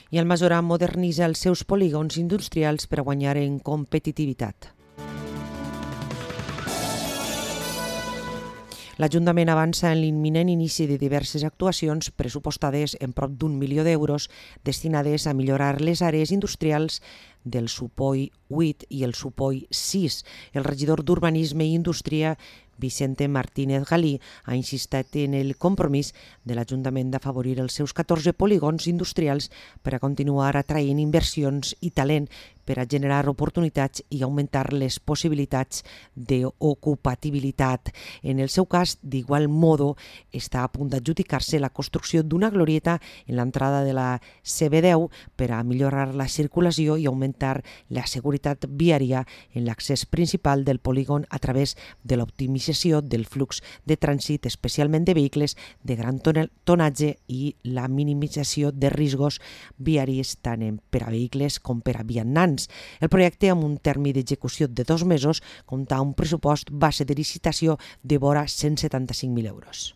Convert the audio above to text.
I el Masora modernitza els seus polígons industrials per a guanyar en competitivitat. L'Ajuntament avança en l'imminent inici de diverses actuacions pressupostades en prop d'1 milió d'euros destinades a millorar les àrees industrials del Supoi 8 i el Supoi 6. El regidor d'Urbanisme i Indústria, Vicente Martínez Galí, ha insistit en el compromís de l'Ajuntament d'afavorir els seus 14 polígons industrials per a continuar atraient inversions i talent per a generar oportunitats i augmentar les possibilitats d'ocupabilitat. En el seu cas, d'igual modo, està a punt d'adjudicar-se la construcció d'una glorieta en l'entrada de la CB10 per a millorar la circulació i augmentar la seguretat viària en l'accés principal del polígon a través de l'optimització del flux de trànsit, especialment de vehicles de gran tonatge i la minimització de riscos viaris tant per a vehicles com per a vianants. El projecte, amb un termini d'execució de 2 mesos, compta un pressupost base de licitació de vora 175.000 euros.